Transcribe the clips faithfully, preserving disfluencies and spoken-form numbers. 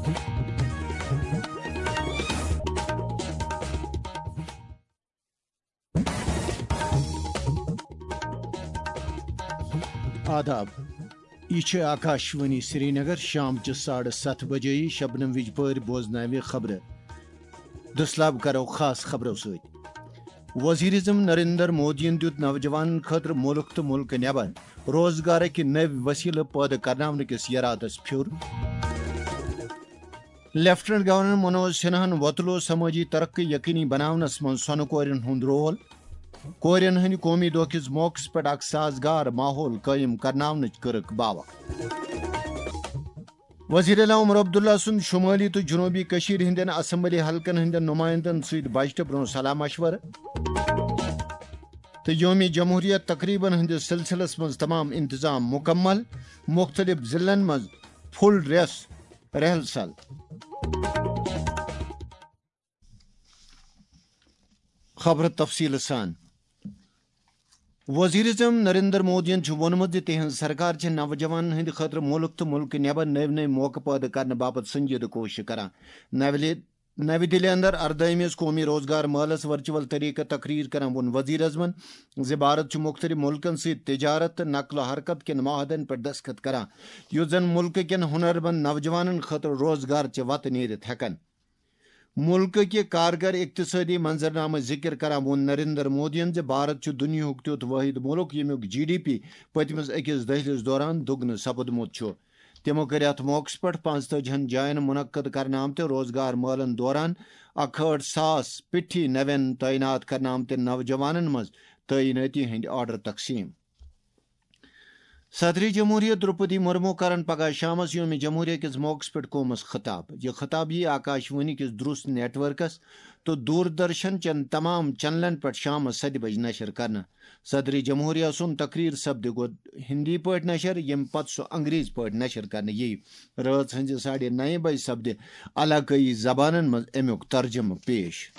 آداب۔ یہِ چھِ آکاشوانی سرینگر۔ شام چہِ ساڑٕ ستھ بجے شبنم وِجپٲرۍ بوزناوِ خبرٕ۔ دٔسلاب کرو خاص خبرو سۭتۍ۔ وزیر اعظم نریندر مودیَن دیُت نوجوانَن خٲطرٕ مُلک تہٕ مُلکہٕ نٮ۪بر روزگارٕکۍ نٔوۍ وسیلہٕ پٲدٕ کرناونہٕ کِس یرادس پھیُر۔ لیفٹیننٹ گورنر منوج سنہاہن وۄتلوو سمٲجی ترقی یقینی بناونس منٛز سۄنہٕ کورٮ۪ن ہُنٛد رول۔ کورٮ۪ن ہٕنٛدِ قومی دۄہ کِس موقعس پٮ۪ٹھ اکھ سازگار ماحول قٲیِم کرناونٕچ کٔرٕکھ باوکھ۔ وزیر اعلیٰ عمر عبداللہ سُنٛد شمٲلی تہٕ جنوبی کٔشیٖرِ ہٕنٛدٮ۪ن اسمبلی حلقن ہٕنٛدٮ۪ن نمائندن سۭتۍ بجٹہٕ برٛونٛہہ صلاح مشورٕ۔ تہٕ یومِ جمہوریہ تقریبن ہٕنٛدِس سلسلس منٛز تمام انتظام مکمل، مختلف ضلعن منٛز فل ڈریس ریہرسل۔ خبرٕ تفصیٖلہٕ سان۔ وزیر اعظم نریندر مودیَن چھُ ووٚنمُت زِ تِہنٛز سرکار چھِ نوجوانَن ہٕنٛدِ خٲطرٕ مُلک تہٕ مُلکہٕ نٮ۪بر نٔوۍ نٔوۍ موقعہٕ پٲدٕ کرنہٕ باپتھ سنجیدٕ کوٗشش کران۔ نوِ دِلہِ، نوِ دِلہِ اندر اردٲہمِس قومی روزگار مٲلَس ورچوئل طریقہٕ تقریر کران ووٚن وزیر اعظمَن زِ بھارت چھُ مُختٔلِف مُلکَن سۭتۍ تجارت تہٕ نقل و حرکت کٮ۪ن معاہدن پٮ۪ٹھ دستخط کران، یُس زَن مُلکہٕ کٮ۪ن ہُنرمند نوجوانَن خٲطرٕ روزگار چہِ وتہٕ نیرِتھ ہٮ۪کن۔ مُلکہٕ کہِ کارگر اقتصٲدی منظرنامٕچ ذِکِر کران ووٚن نریندر مودیَن زِ بھارت چھُ دُنیاہُک تیُتھ وٲحد مُلک ییٚمیُک جی ڈی پی پٔتمِس أکِس دٔہلِس دوران دُگنہٕ سپُدمُت چھُ۔ تِمو کٔرۍ اَتھ موقعس پٮ۪ٹھ پانٛژتٲجی ہن جاین منعقد کرنہٕ آمتہِ روزگار مٲلن دوران اکہٲٹھ ساس پِٹھی نوٮ۪ن تعینات کرنہٕ آمتٮ۪ن نوجوانن منٛز تعینٲتی ہٕنٛدۍ آرڈر تقسیٖم۔ صدر جمہوریہ درپدی مرمو کرن پگاہ شامس یوم جمہوریہ کِس موقعس پٮ۪ٹھ قومس خطاب۔ یہِ خطاب یی آکاشوانی کِس درست نیٹ ورکس تہٕ دوردرشن چٮ۪ن تمام چینلن پٮ۪ٹھ شامس ستہِ بجہِ نشر کرنہٕ۔ صدر جمہوریہ سُنٛد تقریر سپدِ گۄڈٕ ہندی پٲٹھۍ نشر، ییٚمہِ پتہٕ سُہ انگریزی پٲٹھۍ نشر کرنہٕ ییہِ۔ رٲژ ہٕنزِ ساڑِ نَیہِ بجہِ سپدِ علاقٲیی زبانن منٛز امیُک ترجمہٕ پیش۔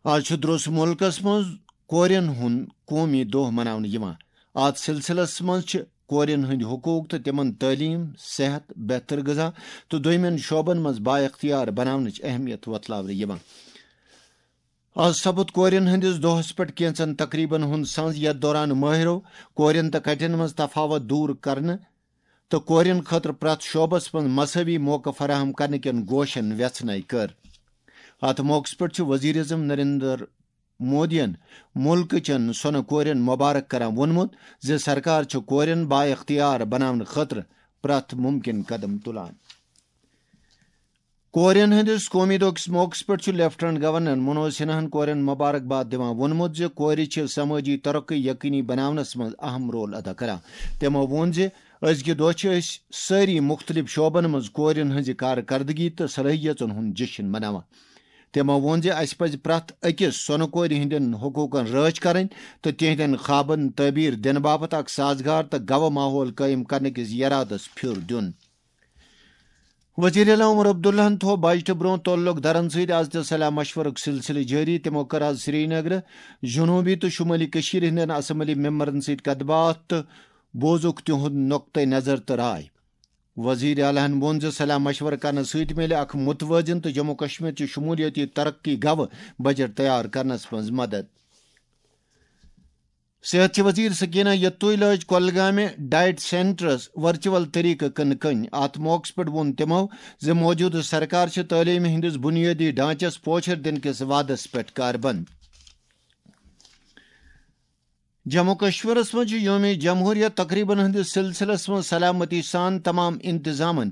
آز چھُ درٛوس مُلکس منٛز کورٮ۪ن ہُنٛد قومی دۄہ مناونہٕ یِوان۔ اتھ سلسلس منٛز چھِ کورٮ۪ن ہٕنٛدۍ حقوق تہٕ تِمن تعلیٖم، صحت، بہتر غذا تہٕ دوٚیمٮ۪ن شعبن منٛز بااختیار بناونٕچ اہمیت وۄتلاونہٕ یِوان۔ آز سپُد کورٮ۪ن ہٕنٛدِس دۄہس پٮ۪ٹھ کینٛژن تقریبن ہُنٛد سنٛز، یتھ دوران مٲہرو کورٮ۪ن تہٕ کٹٮ۪ن منٛز تفاوت دور کرنہٕ تہٕ کورٮ۪ن خٲطرٕ پرٛٮ۪تھ شعبس منٛز مساوی موقعہٕ فراہم کرنہٕ کٮ۪ن گوشن وٮ۪ژھنَے کٔر۔ اتھ موقعس پٮ۪ٹھ چھُ وزیر اعظم نریندر مودیَن مُلکہٕ چٮ۪ن سۄنہٕ کورٮ۪ن مبارک کران ووٚنمُت زِ سرکار چھِ کورٮ۪ن بااختیار بناونہٕ خٲطرٕ پرٛٮ۪تھ مُمکِن قدم تُلان۔ کورٮ۪ن ہٕنٛدِس قومی دۄہ کِس موقعس پٮ۪ٹھ چھُ لیفٹیننٹ گورنر منوج سنہاہن کورٮ۪ن مبارک باد دِوان ووٚنمُت زِ کورِ چھِ سمٲجی ترقی یقینی بناونس منٛز اہم رول ادا کران۔ تِمو ووٚن زِ أزکہِ دۄہ چھِ أسۍ سٲری مُختٔلِف شعبن منٛز کورٮ۪ن ہٕنٛزِ کارکردگی تہٕ صلٲحیژن ہُنٛد جشن مناوان۔ تِمو ووٚن زِ اسہِ پزِ پرٛٮ۪تھ أکِس سۄنہٕ کورِ ہٕنٛدٮ۪ن حقوقن رٲچھ کرٕنۍ تہٕ تِہنٛدٮ۪ن خوابن تعبیر دِنہٕ باپتھ اکھ سازگار تہٕ گوٕ ماحول قٲیِم کرنہٕ کِس یرادس پھیُر دیُن۔ وزیر اعلیٰ عمر عبداللہن تھوو بجٹہٕ برونٛہہ تعلق دارن سۭتۍ از تہِ صلاح مشورُک سلسلہٕ جٲری۔ تِمو کٔر از سرینگرٕ، جنوبی تہٕ شمٲلی کٔشیٖرِ ہٕنٛدٮ۪ن اسمبلی ممبرن سۭتۍ کتھ باتھ تہٕ بوزُکھ تِہُنٛد نقطہٕ نظر تہٕ راے۔ وزیر اعلیٰ ہن ووٚن زِ صلاح مشورٕ کرنہٕ سۭتۍ میلہِ اکھ متوازن تہٕ جموں کشمیر چہِ شمولیٲتی ترقی گوٕ بجٹ تیار کرنس منٛز مدد۔ صحت چہِ وزیر سکینہ یتوئی لٲج کۄلگامہِ ڈائٹ سینٹرس ورچوئل طریقہٕ کٕنہٕ کٔنۍ۔ اتھ موقعس پٮ۪ٹھ ووٚن تِمو زِ موجودٕ سرکار چھِ تعلیمہِ ہٕنٛدِس بنیٲدی ڈھانچس پوچھر دِنہٕ کِس وعدس پٮ۪ٹھ کاربند۔ جموں کشمیرس منٛز چھُ یوم جمہوریہ تقریبن ہٕنٛدِس سلسلس منٛز سلامتی سان تمام انتظامن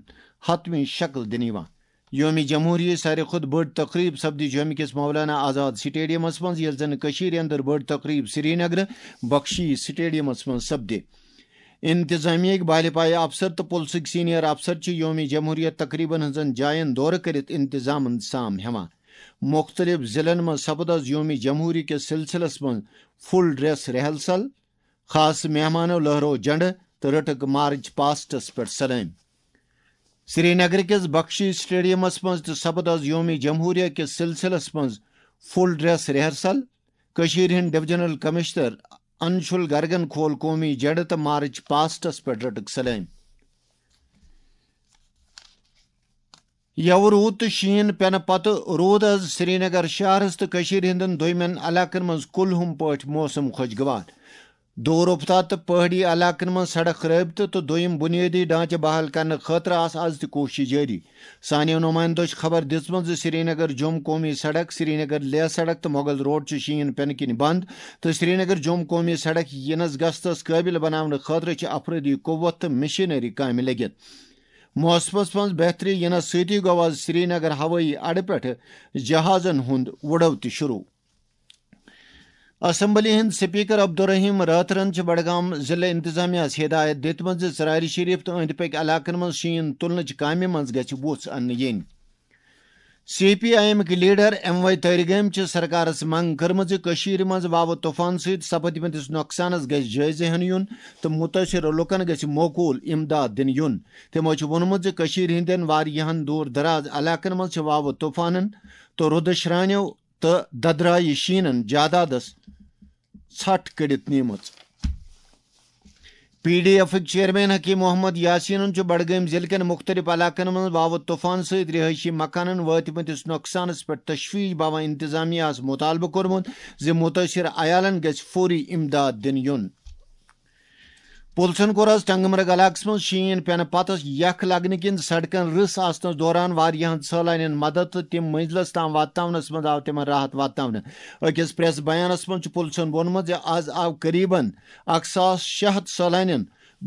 حتمی شکل دِنہٕ یِوان۔ یوم جمہوریہ ساروی کھۄتہٕ بٔڑ تقریب سپدِ جوٚمہِ کِس مولانا آزاد سٹیڈیمس منٛز، ییٚلہِ زن کٔشیٖرِ اندر بٔڑ تقریب سرینگرٕ بخشی سٹیڈیمس منٛز سپدِ۔ انتظامیہ ہٕکۍ بالہِ پایہِ افسر تہٕ پُلسٕکۍ سینئر افسر چھِ یوم جمہوریہ تقریبن ہٕنٛزن جاین دورٕ کٔرِتھ انتظامن سام ہٮ۪وان۔ مُختٔلِف ضلعن منٛز سپُد از یوم جمہوریہ کِس سلسلس منٛز فل ڈریس ریہرسل، خاص مہمانو لہرو جنڈٕ تہٕ رٔٹٕکھ مارچ پاسٹس پٮ۪ٹھ سلٲمۍ۔ سرینگرٕ کِس بخشی سٹیڈیمس منٛز تہِ سپُد از یوم جمہوریہ کِس سلسلس منٛز فل ڈریس ریہرسل۔ کٔشیٖرِ ہٕنٛدۍ ڈویژنل کمشنر انشول گرگن کھول قومی جنڈٕ تہٕ مارچ پاسٹس پٮ۪ٹھ رٔٹٕکھ سلٲمۍ۔ یوٕ روٗد تہٕ شیٖن پٮ۪نہٕ پتہٕ روٗد از سرینگر شہرس تہٕ کٔشیٖرِ ہٕنٛدٮ۪ن دوٚیمٮ۪ن علاقن منٛز کُلہُم پٲٹھۍ موسم خۄشگوار۔ دوٗر افتاد تہٕ پہٲڑی علاقن منٛز سڑک رٲبطہٕ تہٕ دوٚیِم بُنیٲدی ڈھانچہٕ بحال کرنہٕ خٲطرٕ آسہٕ از تہِ کوٗششہٕ جٲری۔ سانیو نُمٲیندو چھِ خبر دِژمٕژ زِ سرینگر جوٚم قومی سڑک، سرینگر لیہ سڑک تہٕ مغل روڈ چھِ شیٖن پٮ۪نہٕ کِنۍ بنٛد تہٕ سرینگر جوٚم قومی سڑک یِنَس گژھنَس قٲبِل بناونہٕ خٲطرٕ چھِ افرٲدی قوت تہٕ مشینری کامہِ لٔگِتھ۔ موسمَس منٛز بہتری یِنَس سۭتی گوٚو آز سرینگر ہوٲیی اڈٕ پٮ۪ٹھٕ جہازَن ہُنٛد وُڈو تہِ شروع۔ اسمبلی ہٕنٛدۍ سپیکر عبدالرحیم رٲتھرَن چھِ بڈگام ضلع انتظامیہ ہَس ہدایت دِژمٕژ زِ ژرارِ شریف تہٕ أنٛدۍ پٔکۍ علاقن منٛز شیٖن تُلنٕچ کامہِ منٛز گژھِ وُژھ اننہٕ یِنۍ۔ سی پی آئی ایمٕکۍ لیڈر ایم وائی تٲرگٲمۍ چھِ سرکارس منٛگ کٔرمٕژ زِ کٔشیٖرِ منٛز واوٕ طوفان سۭتۍ سپدمٕتِس نۄقصانس گژھِ جٲیزٕ ہٮ۪نہٕ یُن تہٕ مُتٲثر لُکن گژھِ موقوٗل امداد دِنہٕ یُن۔ تِمو چھِ ووٚنمُت زِ کٔشیٖرِ ہٕنٛدٮ۪ن واریاہن دوٗر دراز علاقن منٛز چھِ واوٕ طوفانن تہٕ رُدٕ شرٛانیو تہٕ ددرایہِ شیٖنن جادادس ژھٹھ کٔڑِتھ نیٖمٕژ۔ P D ایفٕکۍ chairman Hakim Muhammad یاسینن چھُ بڈگٲمۍ ضلعہٕ کٮ۪ن مُختٔلِف علاقن منٛز واوٕ طوفان سۭتۍ رہٲیشی مکانن وٲتمٕتِس نۄقصانس پٮ۪ٹھ تشویش باوان انتظامیہ ہَس مُطالبہٕ کوٚرمُت زِ مُتٲثر عیالن گژھِ فوری امداد دِنہٕ یُن۔ پُلسن کوٚر آز ٹنگمرگ علاقس منٛز شیٖن پٮ۪نہٕ پتہٕ یخ لگنہٕ کِنۍ سڑکن رٕس آسنس دوران واریاہن سٲلانین مدد تہٕ تِم منزلس تام واتناونس منٛز آو تِمن راحت واتناونہٕ۔ أکِس پریس بیانس منٛز چھُ پُلسن ووٚنمُت زِ آز آو قریباً اکھ ساس شےٚ ہتھ سٲلانین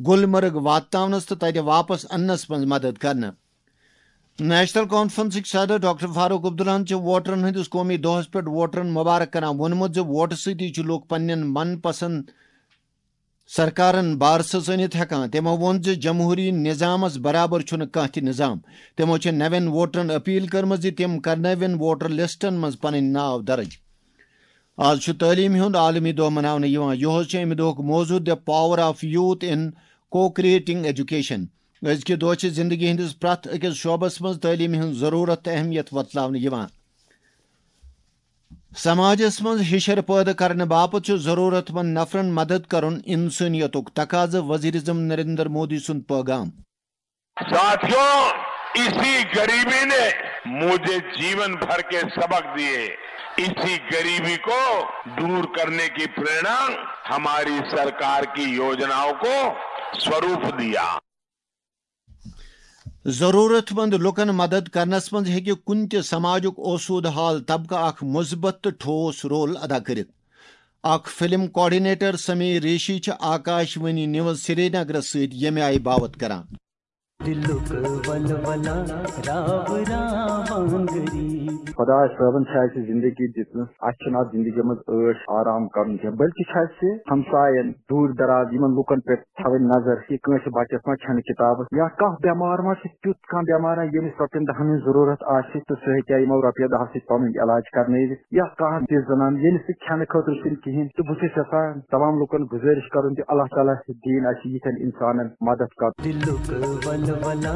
گلمرگ واتناونس تہٕ تتہِ واپس اننس منٛز مدد کرنہٕ۔ نیشنل کانفرنسٕکۍ صدر ڈاکٹر فاروق عبداللہن چھِ ووٹرن ہٕنٛدِس قومی دۄہس پٮ۪ٹھ ووٹرن مبارک کران ووٚنمُت زِ ووٹہٕ سۭتی چھِ لوٗکھ پننٮ۪ن من پسند سرکارن بارسس أنِتھ ہٮ۪کان۔ تِمو ووٚن زِ جمہوٗری نظامس برابر چھُنہٕ کانٛہہ تہِ نظام۔ تِمو چھِ نوٮ۪ن ووٹرن اپیل کٔرمٕژ زِ تِم کرنٲوِن ووٹر لسٹن منٛز پنٕنۍ ناو درج۔ آز چھُ تعلیٖم ہُنٛد عالمی دۄہ مناونہٕ یِوان۔ یُہُس چھُ اَمہِ دۄہُک موضوع The Power of Youth in Co-Creating Education۔ أزکہِ دۄہ چھِ زندگی ہٕنٛدِس پرٛٮ۪تھ أکِس شعبس منٛز تعلیٖمہِ ہٕنٛز ضروٗرت تہٕ اہمیت وۄتلاونہٕ یِوان۔ سماجس منٛز ہِشر پٲدٕ کرنہٕ باپتھ چھُ ضروٗرت مند نفرن مدد کرُن انسٲنیتُک تقاضہٕ، وزیر اعظم نریندر مودی سُنٛد پٲغام۔ साथियों, इसी गरीबी ने मुझे जीवन भर के सबक दिए। इसी गरीबी को दूर करने की प्रेरणा हमारी सरकार की योजनाओं को स्वरूप दिया। ضروٗرت مند لوٗکن مدد کرنس منٛز ہیٚکہِ کُنہِ تہِ سماجُک اوسوٗدٕ حال طبقہٕ اکھ مثبت تہٕ ٹھوس رول ادا کٔرِتھ۔ اکھ فلم کوآرڈینیٹر سمیٖر ریشی چھِ آکاش وانی نیوز سرینگرس سۭتۍ ییٚمہِ آیہِ باوت کران۔ دِلُک ولولہ راو راوان غریب۔ خۄداے صٲبن چھِ اَسہِ زِندگی دِژمٕژ، اَسہِ چھُنہٕ اَتھ زِندگی منٛز عٲش آرام کَرُن کینٛہہ، بلکہِ چھُ اَسہِ ہمساین، دوٗر دراز یِمن لُکن پٮ۪ٹھ تھاوٕنۍ نظر، یہِ کٲنٛسہِ بچس ما چھَنہٕ کِتابس یا کانٛہہ بٮ۪مار ما چھُ، تیُتھ کانٛہہ بٮ۪مار، ییٚمِس رۄپین دہن ہٕنٛز ضروٗرت آسہِ تہٕ سُہ ہیٚکہِ ہا یِمو رۄپیو دہو سۭتۍ پنُن علاج کرنٲوِتھ، یا کانٛہہ تِژھ زنان ییٚمِس نہٕ کھٮ۪نہٕ خٲطرٕ چھُنہٕ کِہیٖنۍ۔ تہٕ بہٕ چھُس یژھان تمام لُکن گُزٲرِش کرُن زِ اللہ تعالیٰ دِیِن اَسہِ یِتھٮ۪ن اِنسانن مدد کرُن۔ دِلُک ولولہ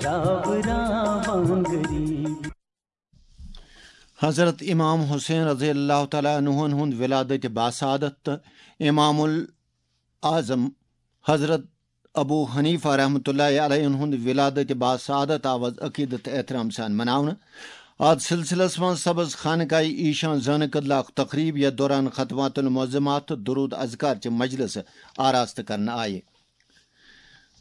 راو راوان غریب۔ حضرت امام حسین رضی اللہ تعالیٰ عنہن ہُنٛد ولادت باسعادت تہٕ امام الاعظم حضرت ابو حنیفہ رحمۃ اللہ علیہ ہُنٛد ولادت باسعادت آو از عقیدت احترام سان مناونہٕ۔ اتھ سلسلس منٛز سبز خانقاہ ایشان زٲنہٕ کدلہ اکھ تقریب، یتھ دوران ختمات المعظمات تہٕ درود اذکار چہِ مجلسہٕ آراستہٕ کرنہٕ آیہِ۔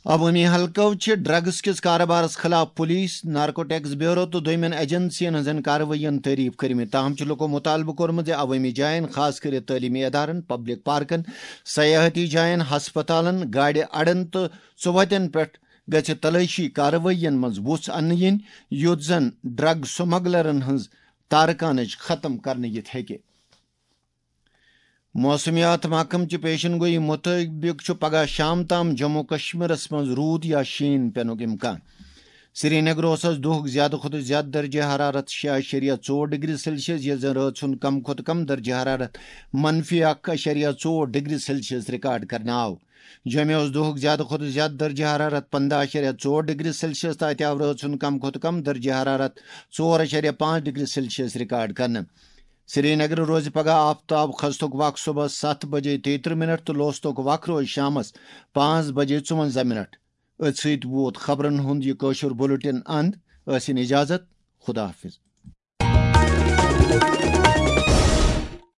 عوٲمی حلقو چھِ ڈرگز کِس کارٕبارس خٕلاف پُلیٖس، نارکوٹکس بیورو تہٕ دوٚیمٮ۪ن ایجنسین ہٕنٛزن کاروٲیین تعریف کٔرمٕتۍ، تاہم چھُ لُکو مُطالبہٕ کوٚرمُت زِ عوٲمی جاین، خاص کٔرِتھ تعلیٖمی ادارن، پبلک پارکن، سیاحتی جاین، ہسپتالن، گاڑِ اڈن تہٕ ژُوتٮ۪ن پٮ۪ٹھ گژھِ تلٲشی کاروٲیین منٛز وُژھ اننہٕ یِنۍ، یُتھ زن ڈرگ سمگلرن ہٕنٛز تارکانٕچ ختم کرنہٕ یِتھ ہیٚکہِ۔ موسمیات محکمہٕ چہِ پیشن گویی مُطٲبِق چھُ پگہہ شام تام جموں و کشمیرس منٛز روٗد یا شیٖن پینُک امکان۔ سرینگرٕ اوس از دۄہُک زیادٕ کھۄتہٕ زیادٕ درجہ حرارت شےٚ اَشریہ ژور ڈگری سیلسیس، ییٚلہِ زن رٲژ ہُنٛد کم کھۄتہٕ کم درجہ حرارت منفی اکھ اَشریہ ژور ڈگری سیلسیس ریکارڈ کرنہٕ آو۔ جوٚمہِ اوس دۄہُک زیادٕ کھۄتہٕ زیادٕ درجہ حرارت پنٛداہ اَشریہ ژور ڈگری سیلسیس تہٕ اتہِ آو رٲژ ہُنٛد کم کھۄتہٕ کم درجہ حرارت ژور اَشریہ پانٛژھ ڈگری سیلسیس ریکارڈ کرنہٕ۔ سرینگرٕ روزِ پگہہ آفتاب کھستُک وق صبحس ستھ بجے تیٚیہِ ترٕٛہ منٹ تہٕ لوستُک وق روزِ شامس پانٛژھ بجے ژُونٛزاہ منٹ۔ أتھۍ سۭتۍ ووت خبرن ہُنٛد یہِ کٲشُر بُلٹن اند۔ ٲسِن اجازت۔ خدا حافظ۔